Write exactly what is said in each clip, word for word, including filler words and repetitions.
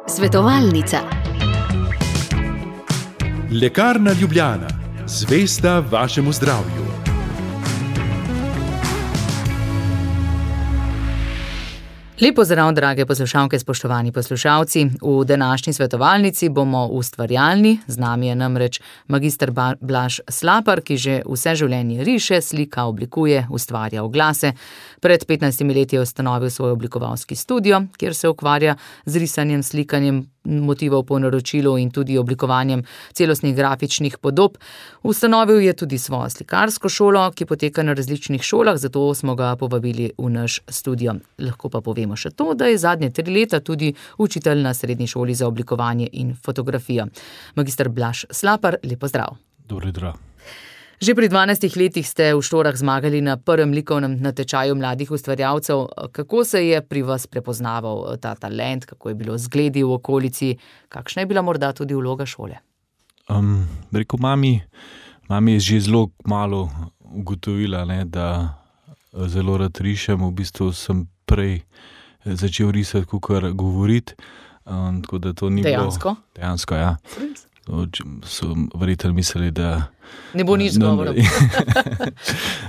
Svetovalnica. Lekarna Ljubljana, zvesta vašemu zdravju. Lep pozdrav, drage poslušalke, spoštovani poslušalci. V današnji svetovalnici bomo ustvarjalni, z nami je namreč magister Blaž Slapar, ki že vse življenje riše, slika, oblikuje, ustvarja oglase. Pred petnajstimi leti je ustanovil svoj oblikovalski studio, kjer se ukvarja z risanjem, slikanjem motivov po naročilu in tudi oblikovanjem celostnih grafičnih podob. Ustanovil je tudi svojo slikarsko šolo, ki poteka na različnih šolah, zato smo ga povabili v naš studio. Lahko pa povemo še to, da je zadnje tri leta tudi učitelj na srednji šoli za oblikovanje in fotografijo. Magister Blaž Slapar, lep pozdrav. Dobro jutro. Že pri dvanajstih letih ste v Štorah zmagali na prvem likovnem natečaju mladih ustvarjalcev. Kako se je pri vas prepoznaval ta talent, kako je bilo zgledi v okolici, kakšna je bila morda tudi vloga šole? Um, rekel, mami, mami je že zelo malo ugotovila, ne, da zelo rad rišem. V bistvu sem prej začel risati, kakor govoriti. Um, tako da to ni dejansko? Bilo, dejansko, ja. So verjetno mislili, da ne bo nič govoril.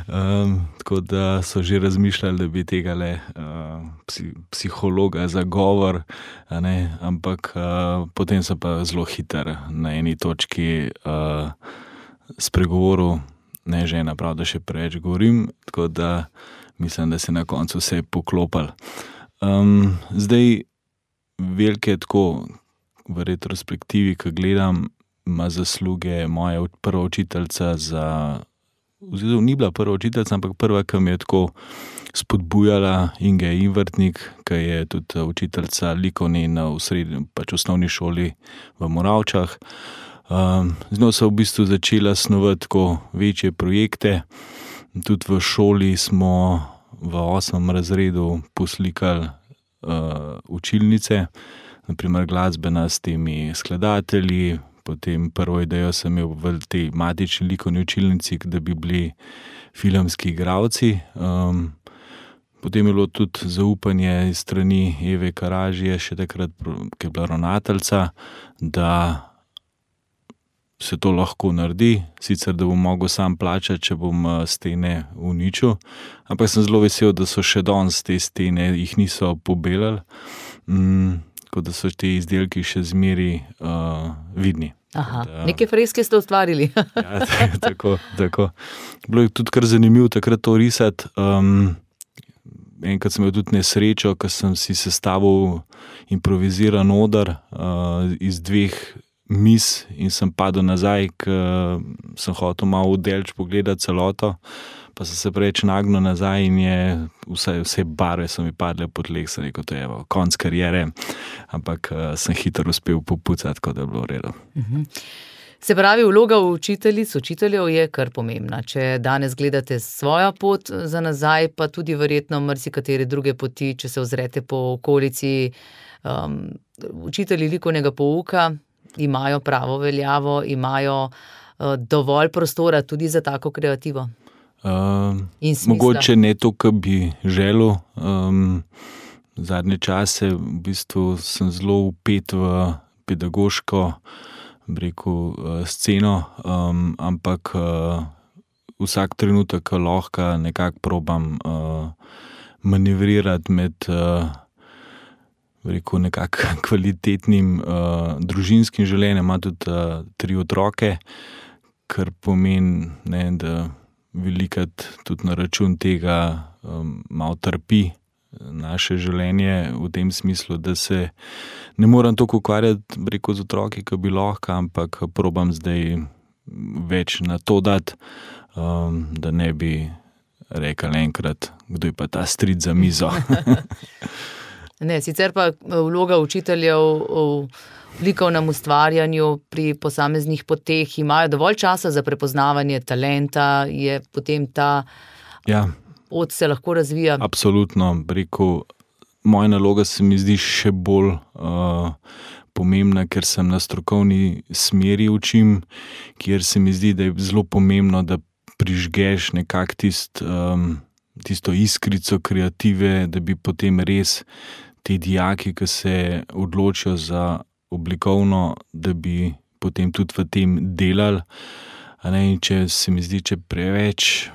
um, tako da so že razmišljali, da bi tega le uh, psi, psihologa za govor, a ne, ampak uh, potem sem pa zelo hiter na eni točki uh, spregovoril, ne žena, prav, da še preveč govorim, tako da mislim, da se na koncu vse poklopal. Um, zdaj, velike tako, v retrospektivi, ko gledam, ima zasluge moja prva učiteljica za, oziroma ni bila prva učiteljica, ampak prva, ki me je tako spodbujala, Inge Invrtnik, ki je tudi učiteljica likovne na srednji, pač osnovni šoli v Moravčah. Um, z njo so v bistvu začela snovati tako večje projekte. Tudi v šoli smo v osmem razredu poslikali uh, učilnice, naprimer glasbena s temi skladatelji, potem prvo idejo sem imel v tej matični likovni učilnici, da bi bili filmski igralci. Um, potem je bilo tudi zaupanje iz strani Eve Karažije, še takrat, ki je bila ravnateljica, da se to lahko naredi, sicer da bom mogel sam plačati, če bom stene uničil, ampak sem zelo vesel, da so še danes te stene, jih niso pobelali. Um, tako da so te izdelki še zmeri uh, vidni. Aha, da, neke freske ste ustvarili. ja, tako, tako. Bilo je tudi kar zanimivo takrat to risati. Um, enkrat sem imel tudi nesrečo, ko sem si sestavil improviziran oder uh, iz dveh mis in sem padel nazaj, ker sem hotel malo vdelč pogledati celoto. Pa sem se preveč nagnil nazaj in je vse, vse barve so mi padle pod tleh, sem rekel, to je evo, konc kariere, ampak uh, sem hitro uspel popucati, tako da je bilo v redu. Uh-huh. Se pravi, vloga učiteljic, učiteljev je kar pomembna. Če danes gledate svojo pot za nazaj, pa tudi verjetno marsikatere druge poti, če se ozrete po okolici, um, učitelji likovnega pouka imajo pravo veljavo, imajo uh, dovolj prostora tudi za tako kreativo. Uh, mogoče ne to, kar bi želel. Um, zadnje čase v bistvu sem zelo vpet v pedagoško, rekel, uh, sceno, um, ampak uh, vsak trenutek, ko lahko nekako probam uh, manevrirati med uh, rekel, nekako kvalitetnim uh, družinskim življenjem. Ima tudi uh, tri otroke, kar pomeni, ne, da velikrat tudi na račun tega um, malo trpi naše življenje v tem smislu, da se ne moram toliko ukvarjati, rekel, z otroki, kot bi lahko, ampak probam zdaj več na to dati, um, da ne bi rekel enkrat, kdo je pa ta stric za mizo. Ne, sicer pa vloga učiteljev v likovnem ustvarjanju pri posameznih poteh imajo dovolj časa za prepoznavanje talenta, je potem ta ja, pot se lahko razvija. Absolutno, rekel, moja naloga se mi zdi še bolj uh, pomembna, ker sem na strokovni smeri učim, kjer se mi zdi, da je zelo pomembno, da prižgeš nekako tist, um, tisto iskrico kreative, da bi potem res ti dijaki, ki se odločijo za oblikovno, da bi potem tudi v tem delali. A ne, in če se mi zdi, če preveč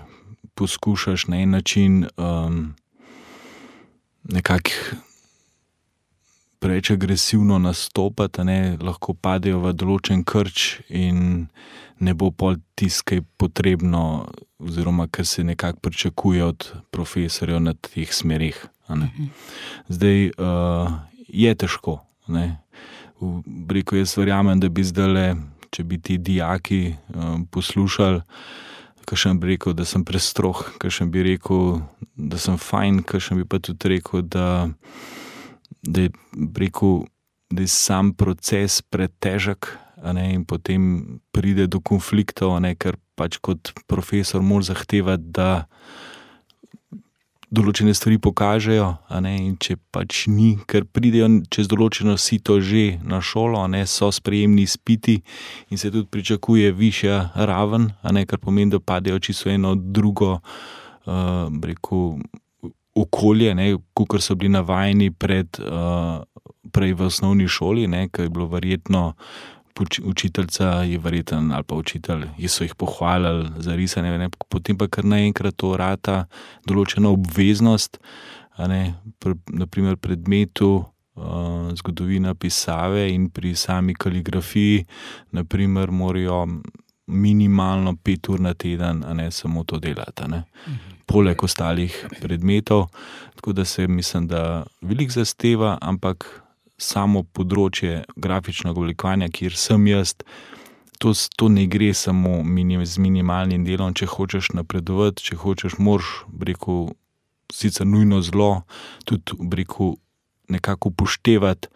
poskušaš na en način um, nekako preveč agresivno nastopati, a ne, lahko padejo v določen krč in ne bo pol tisto, kaj potrebno, oziroma kar se nekako pričakuje od profesorjev na teh smerih. A ne. Zdaj uh, je težko. Ne. Rekel, jaz verjamem, da bi zdajle, če bi ti dijaki um, poslušali, kakšen bi rekel, da sem prestrog, kakšen bi rekel, da sem fajn, kakšen bi pa tudi rekel, da, da je, rekel, da je sam proces pretežek, a ne, in potem pride do konfliktov, a ne, ker pač kot profesor mora zahtevati, da določene stvari pokažejo, a ne, in če pač ni, ker pridejo čez določeno sito že na šolo, a ne, so sprejemni izpiti in se tudi pričakuje višja raven, a ne, kar pomeni, da padejo čisto eno drugo uh, rekel, okolje, ne, kakor so bili navajeni pred, uh, prej v osnovni šoli, ne, ker je bilo verjetno učiteljica je verjeten ali pa učitelj, so jih pohvalili za risanje, ne, potem pa kar naenkrat to rata določena obveznost, a ne, pr, naprimer predmetu uh, zgodovina pisave in pri sami kaligrafiji, naprimer, morajo minimalno pet ur na teden, a ne, samo to delati, a ne, poleg ostalih predmetov, tako da se mislim, da veliko zahteva, ampak samo področje grafičnega oblikovanja, kjer sem jaz, to, to ne gre samo minim, z minimalnim delom, če hočeš napredovati, če hočeš, moraš, rekel, sicer nujno zelo, tudi, rekel, nekako upoštevati,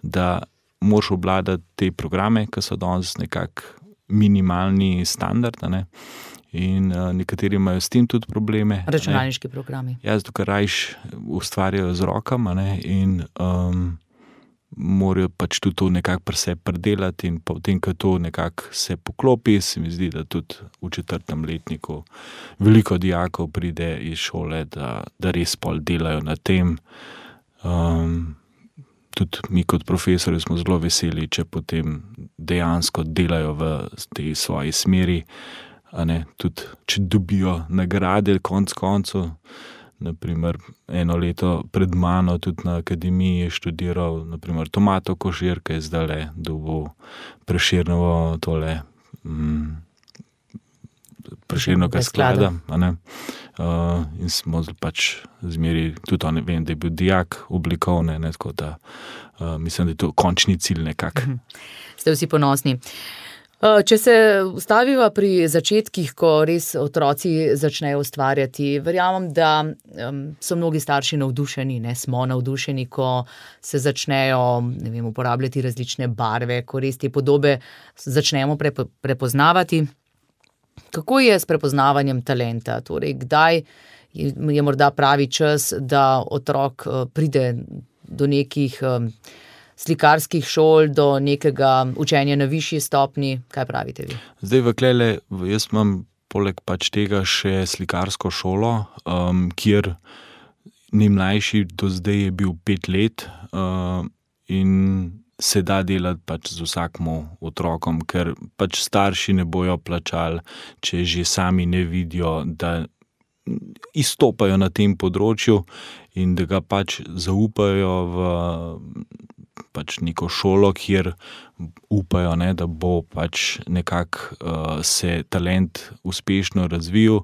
da moraš obvladati te programe, ki so danes nekako minimalni standard, ne? In uh, nekateri imajo s tem tudi probleme. Računalniški programi. Ja, zato, ker rajš ustvarjajo z rokama, ne? In um, morajo pač tudi to nekako pri sebi predelati in potem, ko to nekako se poklopi, se mi zdi, da tudi v četrtem letniku veliko dijakov pride iz šole, da, da res pol delajo na tem. Um, tudi mi kot profesori smo zelo veseli, če potem dejansko delajo v tej svoji smeri, a ne, tudi če dobijo nagrade konc koncev. Naprimer, eno leto pred mano tudi na akademiji je študiral naprimer Tomato Kožir, ki je zdajle dobil Prešernovo tole mm, Prešernovega sklada, a ne. Uh, in smo pač zmeri, tudi on, vem, da je bil dijak oblikovne, ne, tako da uh, mislim, da je to končni cilj nekak. Ste vsi ponosni. Če se ustaviva pri začetkih, ko res otroci začnejo ustvarjati, verjamem, da um, so mnogi starši navdušeni, ne, smo navdušeni, ko se začnejo, ne vem, uporabljati različne barve, ko res te podobe začnemo prepo, prepoznavati. Kako je s prepoznavanjem talenta? Torej, kdaj je, je morda pravi čas, da otrok uh, pride do nekih um, slikarskih šol, do nekega učenja na višji stopni? Kaj pravite vi? Zdaj v Klele, jaz imam poleg pač tega še slikarsko šolo, um, kjer najmlajši do zdaj je bil pet let uh, in se da delati pač z vsakmu otrokom, ker pač starši ne bojo plačali, če že sami ne vidijo, da izstopajo na tem področju in da ga pač zaupajo v pač neko šolo, kjer upajo, ne, da bo pač nekako uh, se talent uspešno razvil.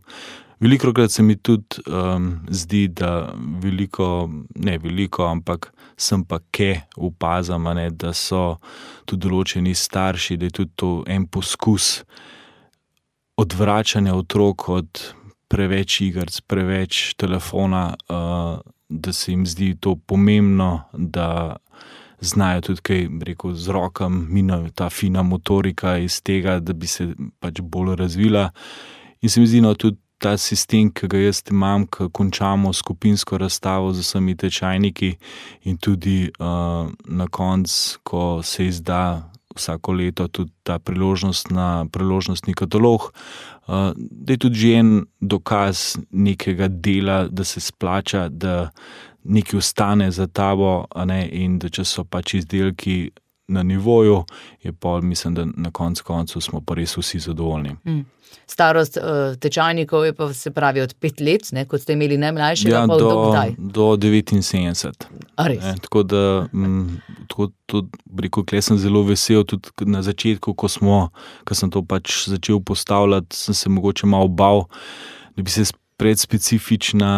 Velikokrat se mi tudi um, zdi, da veliko, ne veliko, ampak sem pa ke opazam, ne, da so tudi določeni starši, da je tudi to en poskus odvračanja otrok od preveč igrc, preveč telefona, uh, da se jim zdi to pomembno, da znajo tudi kaj, rekel, z rokam, mina, ta fina motorika iz tega, da bi se pač bolj razvila. In se mi zdi, no, tudi ta sistem, ki ga jaz imam, ko končamo skupinsko razstavo z vsemi tečajniki in tudi uh, na koncu, ko se izda vsako leto tudi ta priložnost na priložnostni katalog, uh, da je tudi že en dokaz nekega dela, da se splača, da, nekaj ostane za tabo, a ne, in da če so pač izdelki na nivoju, je pa mislim, da na koncu koncu smo pa res vsi zadovoljni. Mm. Starost uh, tečajnikov je pa se pravi od pet let, ne, kot ste imeli najmlajšega, ja, pa do, do kdaj? Do devetinsedemdeset. A res? Ne, tako da, m, tako, tudi, rekel, kle sem zelo vesel, tudi na začetku, ko smo, ko sem to pač začel postavljati, sem se mogoče malo bal, da bi se predspecifična,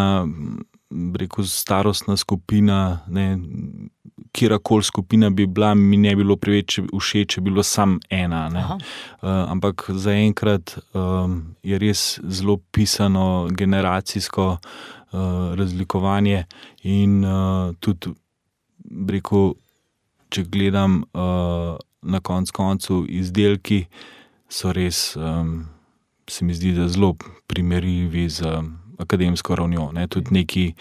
rekel, starostna skupina, ne, kjerakoli skupina bi bila, mi ne bilo preveč všeč, če bilo sam ena. Ne. Uh, ampak zaenkrat um, je res zelo pisano generacijsko uh, razlikovanje in uh, tudi, rekel, če gledam uh, na konc koncu izdelki, so res, um, se mi zdi, da zelo primerljivi z um, akademsko ravnjo. Ne. Tudi neki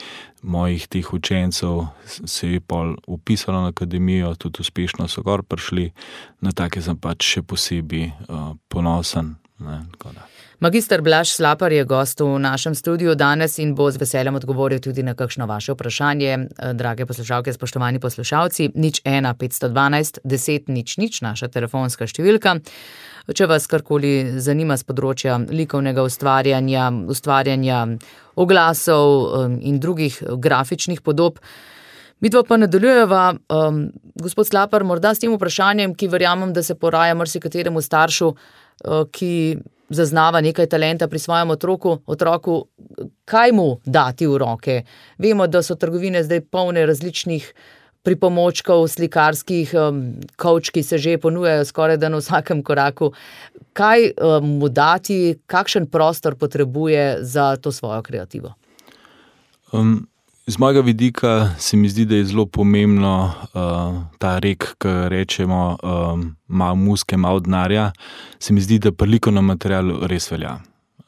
mojih teh učencev se je pol upisalo na akademijo, tudi uspešno so gor prišli, na take sem pač še posebej uh, ponosen. Ne, Magister Blaž Slapar je gost v našem studiu danes in bo z veseljem odgovoril tudi na kakšno vaše vprašanje. Drage poslušalke, spoštovani poslušalci, nič ena petsto dvanajst deset nič nič, naša telefonska številka. Če vas karkoli zanima z področja likovnega ustvarjanja, ustvarjanja oglasov in drugih grafičnih podob, midva pa nadaljujeva, um, gospod Slapar, morda s tem vprašanjem, ki verjamem, da se poraja marsikateremu staršu, uh, ki zaznava nekaj talenta pri svojem otroku, otroku, kaj mu dati v roke? Vemo, da so trgovine zdaj polne različnih pripomočkov, slikarskih, um, kovč, ki se že ponujajo skoraj da na vsakem koraku. Kaj um, mu dati, kakšen prostor potrebuje za to svojo kreativo? Um, z mojega vidika se mi zdi, da je zelo pomembno uh, ta rek, ki rečemo um, malo muske, malo denarja, se mi zdi, da pri likovnem materialu res velja.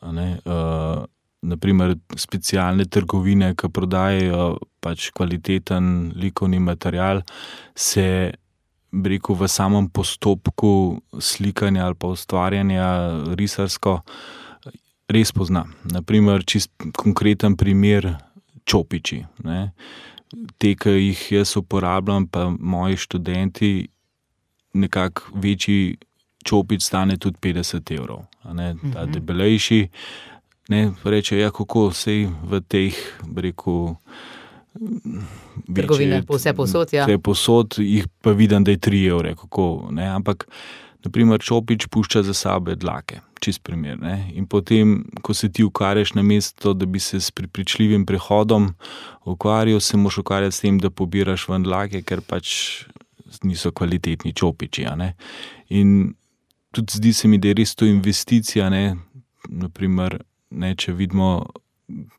Ne? Uh, naprimer specialne trgovine, ki prodajajo pač kvaliteten likovni material, se, rekel, v samem postopku slikanja ali pa ustvarjanja risarsko res pozna. Naprimer, čist konkreten primer, čopiči. Ne. Te, ki jih jaz uporabljam, pa moji študenti, nekako večji čopič stane tudi petdeset evrov. Ne. Ta mm-hmm. debelejši, ne, reče, ja, kako sej v teh, rekel, trgovine, vse posod, ja. Vse posod, jih pa vidim, da je tri evre, kako, ne, ampak naprimer čopič pušča za sabo dlake, čist primer, ne, in potem, ko se ti ukvarjaš na mesto, da bi se s prepričljivim prehodom ukvarjal, se moraš ukvarjati s tem, da pobiraš ven dlake, ker pač niso kvalitetni čopiči, a ne, in tudi zdi se mi, da je res to investicija, ne, naprimer, ne, če vidimo,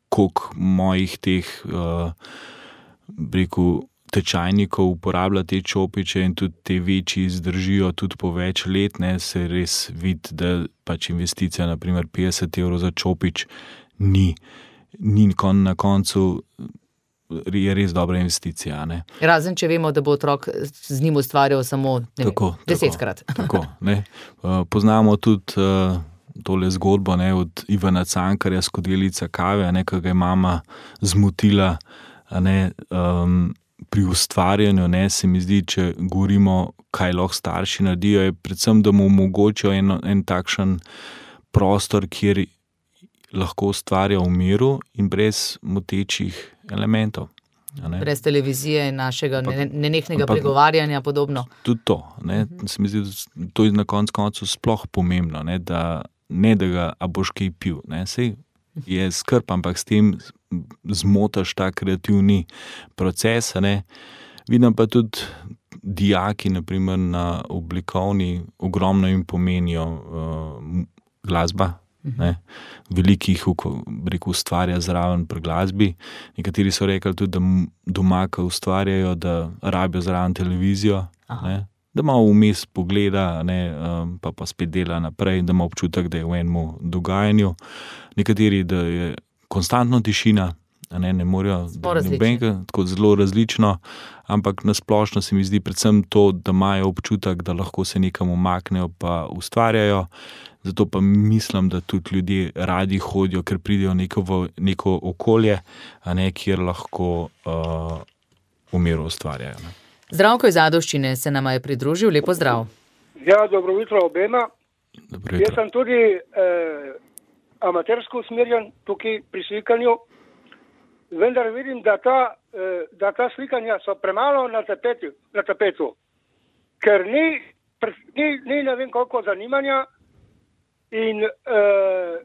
koliko mojih teh, uh, rekel, tečajnikov uporablja te čopiče in tudi te večji zdržijo tudi po več let, ne, se res vidi, da pač investicija, naprimer petdeset evrov za čopič, ni, ni na koncu, je res dobra investicija. Ne. Razen, če vemo, da bo otrok z njim ustvarjal samo ne tako, vem, desetkrat. Tako, tako, ne. Uh, poznamo tudi uh, tole zgodbo, ne, od Ivana Cankarja, Skodelica kave, ne, ki ga je mama zmotila, ne, um, pri ustvarjanju, ne, se mi zdi, če govorimo, kaj lahko starši naredijo, je predvsem, da mu omogočijo en, en takšen prostor, kjer lahko ustvarja v miru in brez motečih elementov. Brez televizije in našega nenehnega pregovarjanja podobno. Tudi to, ne, uh-huh. se mi zdi, da to je na koncu koncu sploh pomembno, ne, da ne da ga, a boš kaj pil, ne, sej je skrb, ampak s tem zmotaš ta kreativni proces, ne. Vidim pa tudi dijaki, naprimer na oblikovni, ogromno jim pomenijo uh, glasba, ne. Veliko jih, rekel, ustvarja zraven pri glasbi. Nekateri so rekli tudi, da doma, ko ustvarjajo, da rabijo zraven televizijo, ne. Da malo vmes pogleda, ne, pa pa spet dela naprej, da ima občutek, da je v enem dogajanju. Nekateri, da je konstantno tišina, a ne, ne morajo, nobenega, tako zelo različno, ampak nasplošno se mi zdi predvsem to, da imajo občutek, da lahko se nekam umaknejo pa ustvarjajo, zato pa mislim, da tudi ljudje radi hodijo, ker pridejo neko, v neko okolje, a ne, kjer lahko uh, v miru ustvarjajo. Ne. Zdravko iz Ajdovščine se nama je pridružil, lepo zdrav. Ja, dobro jutro obema. Dobro jutro. Jaz sem tudi eh, amatersko usmerjen tukaj pri slikanju, vendar vidim, da ta, eh, da ta slikanja so premalo na tapetu, na tapetu. Ker ni, ni, ni ne vem koliko zanimanja in eh,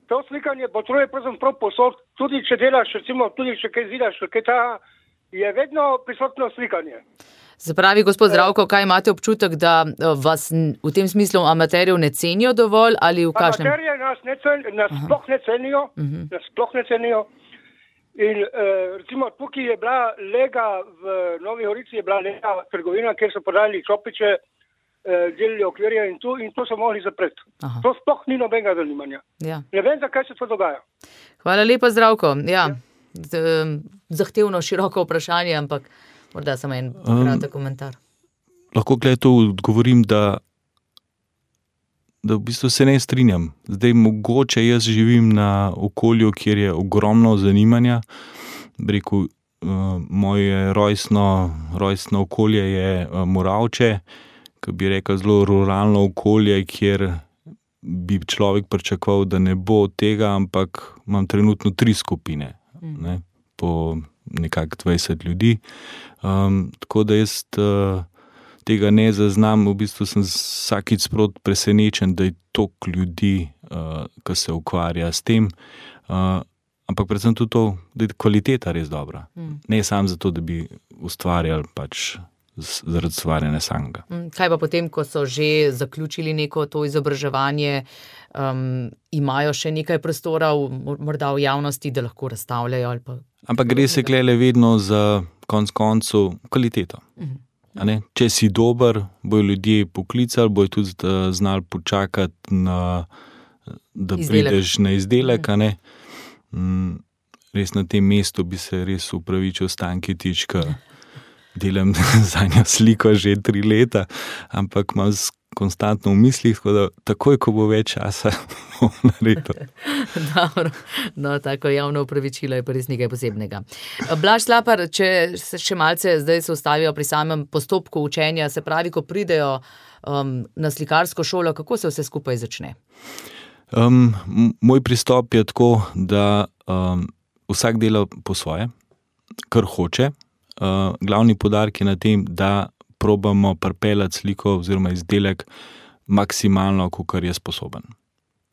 to slikanje potrebuje pravzaprav posod, tudi če delaš, recimo, tudi če kaj zidaš, kaj ta je vedno prisotno slikanje. Se pravi, gospod Zdravko, kaj imate občutek, da vas v tem smislu amaterjev ne cenijo dovolj ali v kakšnem? Amaterje nas, ne cen, nas sploh ne cenijo, uh-huh. nas sploh ne cenijo. In eh, recimo tukaj je bila lega, v Novi Gorici je bila lega trgovina, kjer so prodali čopiče, eh, delili okvirje in to, in to so mogli zapreti. Aha. To sploh ni nobenega zanimanja. Ja. Ne vem, zakaj se to dogaja. Hvala lepa, Zdravko. Ja. Ja. Zahtevno, široko vprašanje, ampak morda samo en kratek komentar. Um, lahko glede to odgovorim, da, da v bistvu se ne strinjam. Zdaj mogoče jaz živim na okolju, kjer je ogromno zanimanja. Rekel, uh, moje rojstno, rojstno okolje je uh, Moravče, ki bi rekel zelo ruralno okolje, kjer bi človek pričakoval, da ne bo tega, ampak imam trenutno tri skupine. Mm. Ne, po nekako dvajset ljudi. Um, tako da jaz uh, tega ne zaznam, v bistvu sem vsakič sprot presenečen, da je toliko ljudi, uh, ki se ukvarja s tem, uh, ampak predvsem tudi to, da je kvaliteta res dobra. Mm. Ne samo zato, da bi ustvarjali pač zaradi ustvarjanja samega. Kaj pa potem, ko so že zaključili neko to izobraževanje, um, imajo še nekaj prostora v, morda v javnosti, da lahko razstavljajo? Ali pa... Ampak gre se klele vedno za konc koncu kvaliteto. Uh-huh. A ne? Če si dober, bojo ljudje poklicali, bojo tudi znali počakati, na, da izdelek. Prideš na izdelek. Uh-huh. A ne? Mm, res na tem mestu bi se res upravičil Stanketič, ker delam za njo sliko že tri leta, ampak imam konstantno v mislih, tako da takoj, ko bo več časa, bom naredil. Dobro, no, tako javno upravičilo je pa res nekaj posebnega. Blaž Slapar, če se še malce zdaj se ustavijo pri samem postopku učenja, se pravi, ko pridejo um, na slikarsko šolo, kako se vse skupaj začne? Um, moj pristop je tako, da um, vsak dela po svoje, kar hoče. Uh, glavni poudarek je na tem, da probamo pripeljati sliko oziroma izdelek maksimalno, kolikor je sposoben.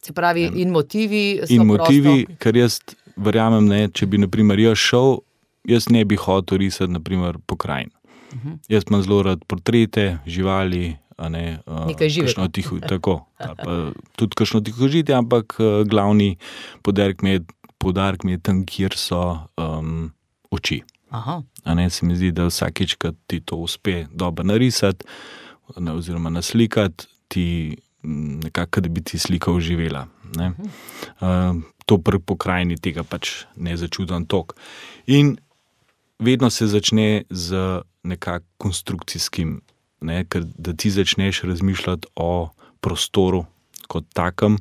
Se pravi, in motivi so in prosto? In motivi, ker jaz verjamem, ne, če bi naprimer jaz šel, jaz ne bi hotel risati naprimer pokrajin. Uh-huh. Jaz imam zelo rad portrete, živali, a ne, uh, nekaj živega. Tiho, tako, pa, tudi kakšno tihožitje, ampak uh, glavni poudarek mi je, poudarek mi je tam, kjer so um, oči. Aha. A ne, se mi zdi, da vsakič, kad ti to uspe dobro narisati ne, oziroma naslikati, ti nekako, da bi ti slika uživela. Ne. Uh, to pri pokrajini tega pač ne začudan tok. In vedno se začne z nekak konstrukcijskim, ne, ker da ti začneš razmišljati o prostoru kot takem,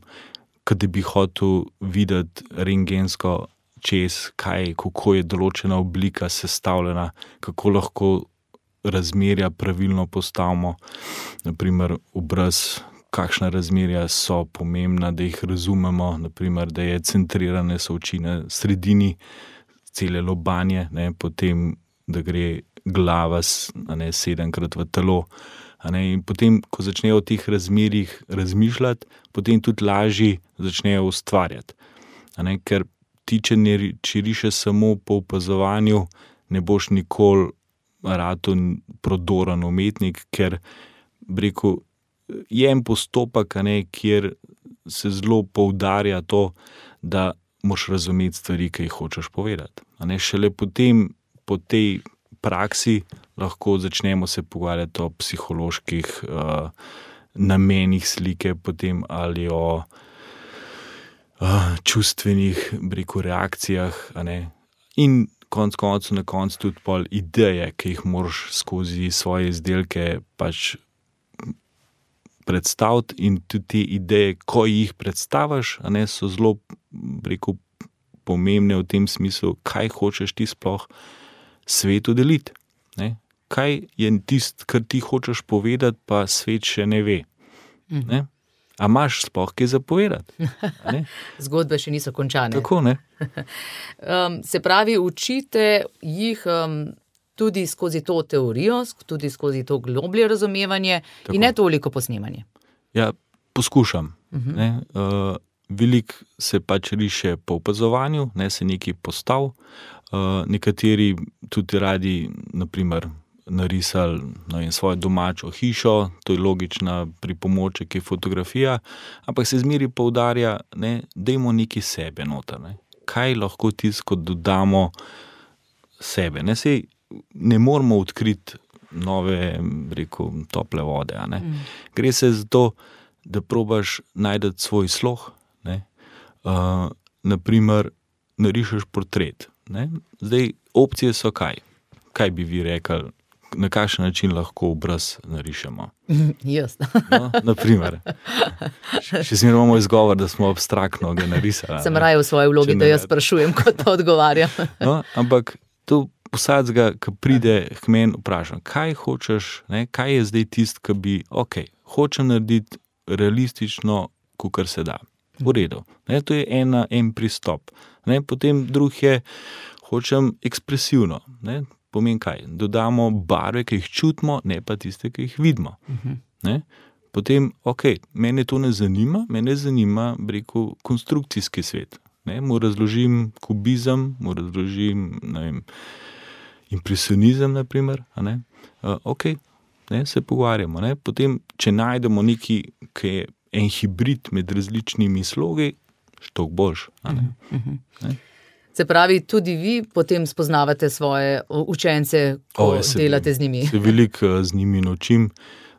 kad bi hotel videti rentgensko čez, kaj, kako je določena oblika sestavljena, kako lahko razmerja pravilno postavimo, naprimer obraz, kakšna razmerja so pomembna, da jih razumemo, naprimer, da je centrirane so oči na sredini, cele lobanje, ne, potem, da gre glava a ne, sedemkrat v telo. A ne, in potem, ko začnejo o teh razmerjih razmišljati, potem tudi lažje začnejo ustvarjati. A ne, ker ti, če, ne, če rišeš samo po opazovanju, ne boš nikoli rado prodoren umetnik, ker rekel, je en postopek, ne, kjer se zelo poudarja to, da moraš razumeti stvari, ki jih hočeš povedati. A ne, šele potem, po tej praksi, lahko začnemo se pogovarjati o psiholoških uh, namenih slike, potem ali o Uh, čustvenih, rekel, reakcijah, a ne, in konc koncu na koncu tudi pol ideje, ki jih moraš skozi svoje izdelke pač predstaviti in tudi te ideje, ko jih predstaviš, a ne, so zelo, rekel, pomembne v tem smislu, kaj hočeš ti sploh svetu deliti, ne. Kaj je tisto, kar ti hočeš povedati, pa svet še ne ve, ne. A imaš sploh kaj zapovedati? Zgodbe še niso končane. Tako, ne? um, se pravi, učite jih um, tudi skozi to teorijo, tudi skozi to globlje razumevanje. Tako. In ne toliko posnemanje. Ja, poskušam. Uh-huh. Ne? Uh, veliko se pač riše po opazovanju, ne, se nekaj postav. Uh, nekateri tudi radi, naprimer, narisali no, in svojo domačo hišo, to je logična pripomoček, je fotografija, ampak se zmeri poudarja, ne, dajmo nekaj sebe noter, ne. Kaj lahko tisto dodamo sebe, ne, sej ne moramo odkriti nove, rekel, tople vode, a ne. Mm. Gre se za to, da probaš najti svoj sloh, ne, uh, naprimer, narišeš portret, ne, zdaj opcije so kaj, kaj bi vi rekli, na kakšen način lahko obraz narišemo. Jaz. No, naprimer. Še zmeraj imamo izgovor, da smo abstraktno ga narisali. Sem raje v svoji vlogi, da jaz sprašujem, kot pa odgovarjam. No, ampak to vsakega, ki pride k meni, vprašam, kaj hočeš, ne, kaj je zdaj tisto, ki bi, ok, hočem narediti realistično, kakor se da. V redu. Ne, to je ena, en pristop. Ne, potem drug je, hočem ekspresivno, ne, pomeni kaj? Dodamo barve, ki jih čutimo, ne pa tiste, ki jih vidimo. Uh-huh. Ne? Potem, ok, mene to ne zanima, mene zanima, rekel, konstrukcijski svet. Ne? Mu razložim kubizem, mu razložim, ne vem, impresionizem, naprimer, a ne? Uh, ok, ne, se pogovarjamo. Ne? Potem, če najdemo neki, ki je en hibrid med različnimi slogi, štok boljš, a ne? Uh-huh. Ne? Se pravi, tudi vi potem spoznavate svoje učence, ko o, se, delate z njimi. Se veliko z njimi naučim.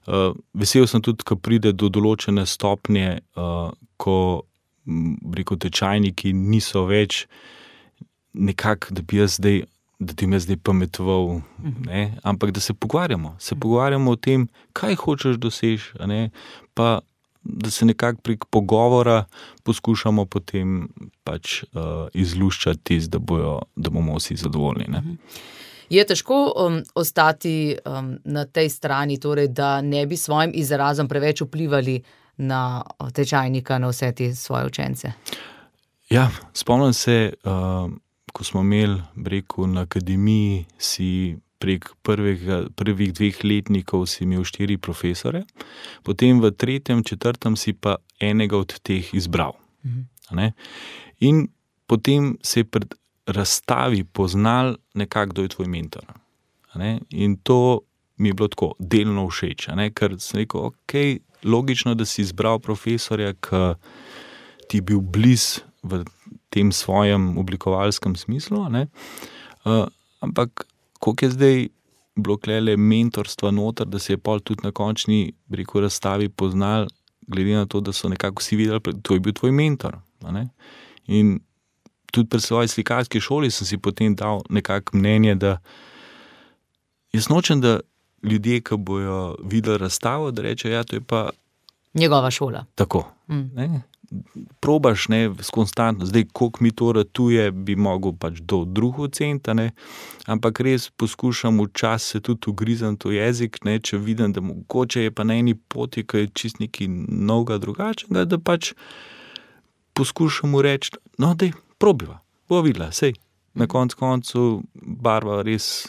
Uh, vesel sem tudi, ko pride do določene stopnje, uh, ko rekel, tečajniki niso več nekako, da bi jaz zdaj, da ti me zdaj pametoval, uh-huh. ne, ampak da se pogovarjamo. Se pogovarjamo o tem, kaj hočeš doseči, a ne, pa da se nekako prek pogovora poskušamo potem pač uh, izluščati tisto, da bojo, da bomo vsi zadovoljni, ne. Je težko um, ostati um, na tej strani, torej, da ne bi svojim izrazom preveč vplivali na tečajnika, na vse te svoje učence? Ja, spomnim se, uh, ko smo imeli, rekel, na akademiji si prek prvega, prvih dveh letnikov si imel štiri profesore, potem v tretjem, četrtem si pa enega od teh izbral. Mhm. In potem se je pred razstavi poznal nekako, kdo je tvoj mentor. Ne? In to mi je bilo tako delno všeč, ne? Ker sem rekel, ok, logično, da si izbral profesorja, ki ti je bil bliz v tem svojem oblikovalskem smislu, ne? Uh, ampak koliko je zdaj bilo klele mentorstva noter, da se je pol tudi na končni, rekel, razstavi poznal, glede na to, da so nekako vsi videli, to je bil tvoj mentor. Ne? In tudi pri svoji slikarski šoli sem si potem dal nekako mnenje, da jaz nočem, da ljudje, ki bojo videli razstavo, da reče, ja, to je pa njegova šola. Tako. Mm. Ne? Probaš, ne, konstantno, zdaj, koliko mi to ratuje, bi mogel pač do drug oceniti, ne, ampak res poskušam včasih se tudi ugrizam to jezik, ne, če vidim, da mogoče je pa na eni poti, ki je čist nekaj novega drugačnega, da pač poskušam mu reči, no, dej, probiva, bo videla, sej, na konc koncu barva res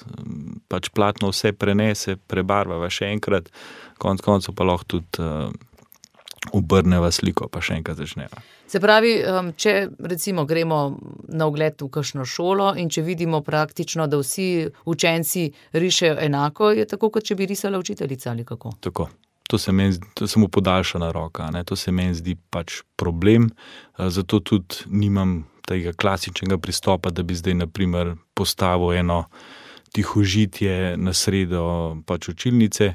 pač platno vse prenese, prebarvava še enkrat, konc koncu pa lahko tudi uh, obrneva sliko, pa še enkrat začneva. Se pravi, če recimo gremo na ogled v kakšno šolo in če vidimo praktično, da vsi učenci rišejo enako, je tako, kot če bi risala učiteljica ali kako? Tako. To se meni, to je samo podaljšana roka, ne? To se meni zdi pač problem, zato tudi nimam tega klasičnega pristopa, da bi zdaj naprimer postavil eno tihožitje na sredo pač učilnice,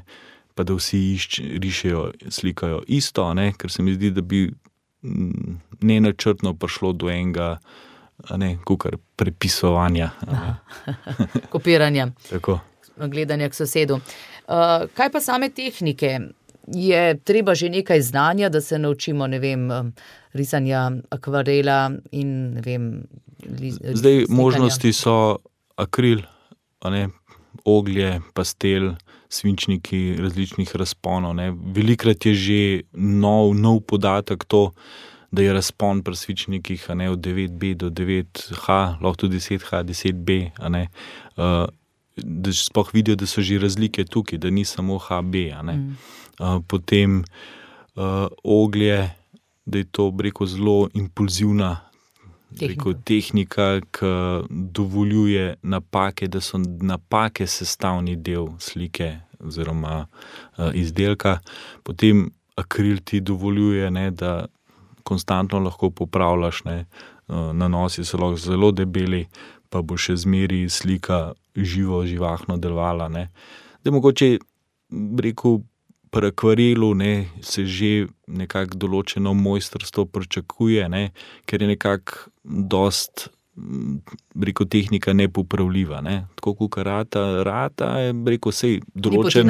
pa da vsi išč, rišejo, slikajo isto, ne? Ker se mi zdi, da bi nenačrtno prišlo do enega a ne, kukar prepisovanja. Kopiranja. Tako. Gledanja k sosedu. Uh, kaj pa same tehnike? Je treba že nekaj znanja, da se naučimo, ne vem, risanja akvarela in ne vem... Li, Zdaj slikanja. Možnosti so akril, a ne, oglje, pastel, svinčniki različnih razponov. Ne. Velikrat je že nov, nov podatek to, da je razpon pri svinčnikih, a ne, od devet B do devet H, lahko tudi deset H, deset B, a ne, uh, da sploh vidijo, da so že razlike tukaj, da ni samo H B, a ne. Mm. Uh, potem uh, oglje, da je to, rekel, zelo impulzivna rekel, tehnika, ki dovoljuje napake, da so napake sestavni del slike oziroma uh, izdelka. Potem akril ti dovoljuje, ne, da konstantno lahko popravljaš, ne, uh, nanosi so lahko zelo debeli, pa bo še zmeri slika živo, živahno delovala. Ne. Da mogoče, rekel, pri akvarelu, ne, se že nekako določeno mojstrstvo pričakuje, ne, ker je nekako dost, rekel, tehnika nepopravljiva. Ne. Tako kot rata, rata je, rekel, sej določen,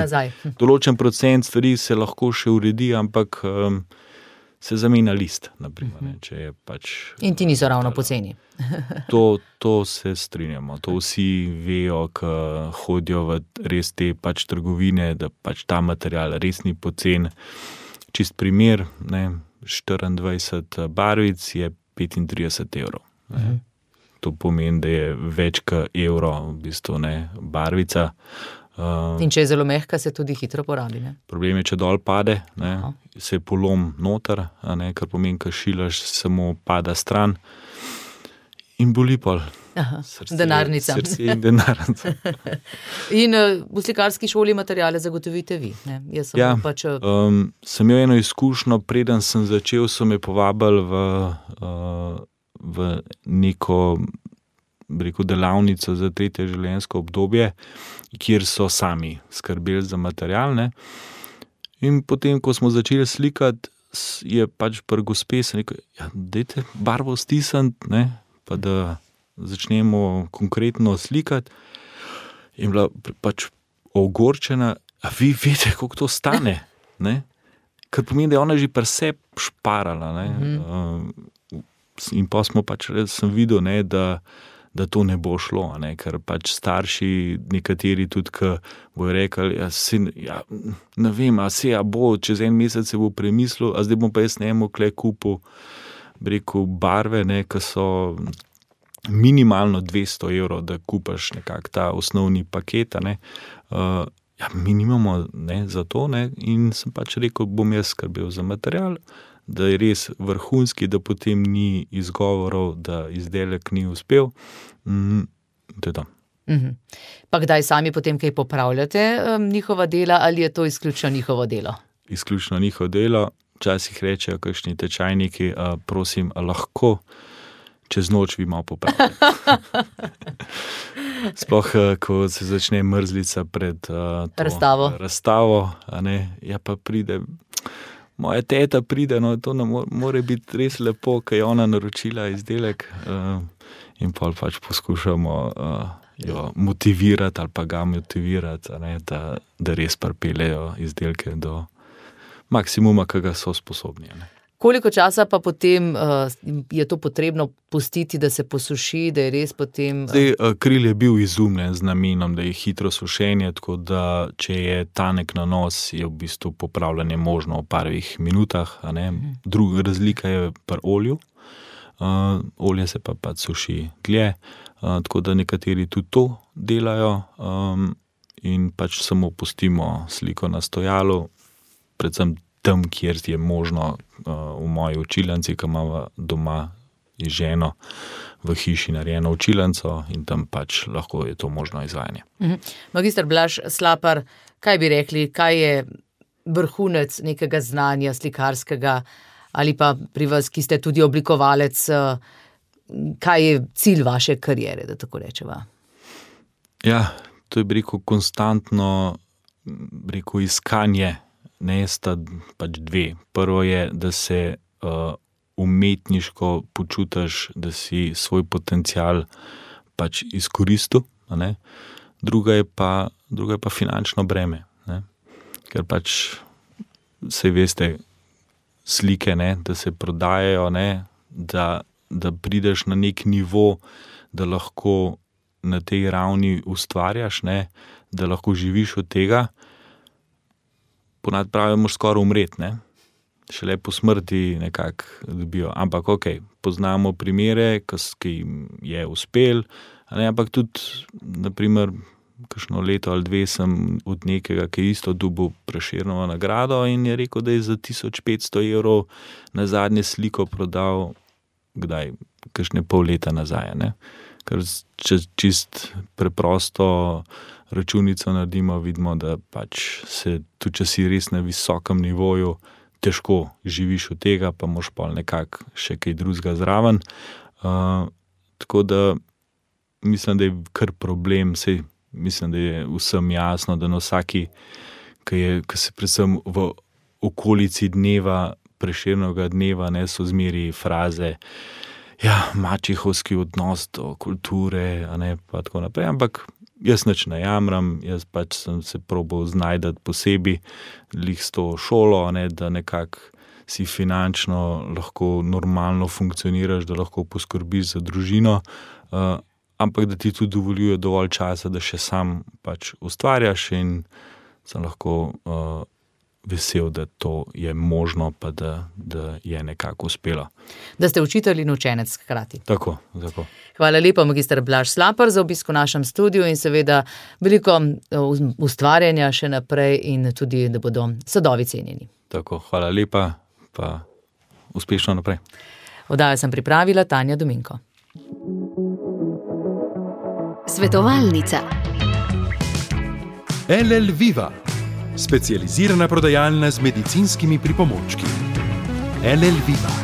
določen procent stvari se lahko še uredi, ampak um, se zamenja list, naprimer, ne, če je pač... In ti niso ravno poceni. To, to se strinjamo, to vsi vejo, ki hodijo v res te pač trgovine, da pač ta material res ni pocen. Čist primer, ne, štiriindvajset barvic je petintrideset evrov. Ne. To pomeni, da je več kot evro v bistvu, ne, barvica. Uh, In če je zelo mehka, se tudi hitro porabi. Ne? Problem je, če dol pade, ne, se polom noter, a ne, kar pomeni, ko šilaš, samo pada stran in boli pol. Aha, srce, denarnica. Srce in denarnica. In uh, v slikarski šoli materiale zagotovite vi? Ne? Jaz sem ja, pač, uh... um, sem imel eno izkušnjo, preden sem začel, so me povabili v, uh, v neko, rekel, delavnico za tretje življenjsko obdobje, kjer so sami skrbeli za material, ne. In potem, ko smo začeli slikati, je pač pri gospe se rekel, ja, dajte barvo stisniti, ne, pa da začnemo konkretno slikati. In bila pač ogorčena, a vi veste, koliko to stane, ne. Kar pomeni, da je ona že pri sebi šparala, ne. Mm-hmm. Uh, in pa smo pač, sem videl, ne, da da to ne bo šlo, ne? Ker pač starši nekateri tudi, ki bojo rekli, ja, sin, ja, ne vem, a se ja bo, čez en mesec se bo premislil, a zdaj bom pa jaz njemu kle kupil, rekel, barve, ne, ki so minimalno dvesto evrov, da kupaš nekak ta osnovni paket, ne. Uh, ja, mi nimamo, ne, za to, ne, in sem pač rekel, bom jaz skrbel za material, da je res vrhunski, da potem ni izgovorov, da izdelek ni uspel. Mm, to je to. Mm-hmm. Pa kdaj sami potem kaj popravljate um, njihova dela ali je to izključno njihovo delo? Izključno njihovo delo. Včasih rečejo kakšni tečajniki, a, prosim, a lahko čez noč vi malo popravljate. Sploh, ko se začne mrzlica pred a, to razstavo, razstavo a ne, ja pa pride... Moja teta pride, no, to ne more, more biti res lepo, ker je ona naročila izdelek uh, in pa pač poskušamo uh, jo motivirati ali pa ga motivirati, a ne, da, da res pripeljejo izdelke do maksimuma, ki ga so sposobni. Ne. Koliko časa pa potem uh, je to potrebno pustiti, da se posuši, da je res potem... Uh... Zdaj, akril je bil izumljen z namenom, da je hitro sušenje, tako da če je tanek nanos, je v bistvu popravljanje možno v parih minutah, a ne. Druga razlika je pri olju. Uh, olje se pa pa suši dlje, uh, tako da nekateri tudi to delajo um, in pač samo pustimo sliko na stojalu, predvsem tam, kjer je možno, uh, v moji učilnici, ki imamo doma ženo v hiši narejeno učilnico in tam pač lahko je to možno izvajanje. Mhm. Magister Blaž Slapar, kaj bi rekli, kaj je vrhunec nekega znanja slikarskega ali pa pri vas, ki ste tudi oblikovalec, kaj je cilj vaše kariere, da tako rečeva? Ja, to je, bi rekel, konstantno, bi rekel, iskanje. Ne, sta pač dve. Prvo je, da se uh, umetniško počutiš, da si svoj potencial pač izkoristil, a ne. Druga je pa, druga je pa finančno breme, ne. Ker pač saj veste, slike, ne, da se prodajajo, ne, da, da prideš na nek nivo, da lahko na tej ravni ustvarjaš, ne, da lahko živiš od tega, ponad pravijo, moraš skoraj umreti, ne. Šele po smrti nekako dobijo. Ampak ok, poznamo primere, ki jim je uspel, ne, ampak tudi, naprimer, kakšno leto ali dve sem od nekega, ki je isto dobil Prešernovo nagrado in je rekel, da je za tisoč petsto evrov na zadnje sliko prodal, kdaj, kakšne pol leta nazaj, ne. Ker če čist preprosto računico naredimo, vidimo, da pač se, tudi če si res na visokem nivoju, težko živiš od tega, pa moraš pol nekako še kaj drugega zraven. Uh, tako da mislim, da je kar problem, sej mislim, da je vsem jasno, da na vsaki, ki je, ki se predvsem v okolici dneva, Prešernovega dneva, ne, so zmeri fraze, ja, mačehovski odnos do kulture, a ne, pa tako naprej, ampak jaz nič ne jamram, jaz pač sem se probal znajdati posebej, lih s to šolo, ne, da nekako si finančno lahko normalno funkcioniraš, da lahko poskrbiš za družino, uh, ampak da ti tudi dovoljuje dovolj časa, da še sam pač ustvarjaš in sem lahko uh, vesel, da to je možno, pa da, da je nekako uspelo. Da ste učitelj in učenec hkrati. Tako, tako. Hvala lepa, magister Blaž Slapar, za obisk v našem studiu in seveda veliko ustvarjanja še naprej in tudi, da bodo sadovi cenjeni. Tako, hvala lepa, pa uspešno naprej. Oddajo sem pripravila Tanja Dominko. Svetovalnica. L L Viva, specializirana prodajalna z medicinskimi pripomočki. L L Viva.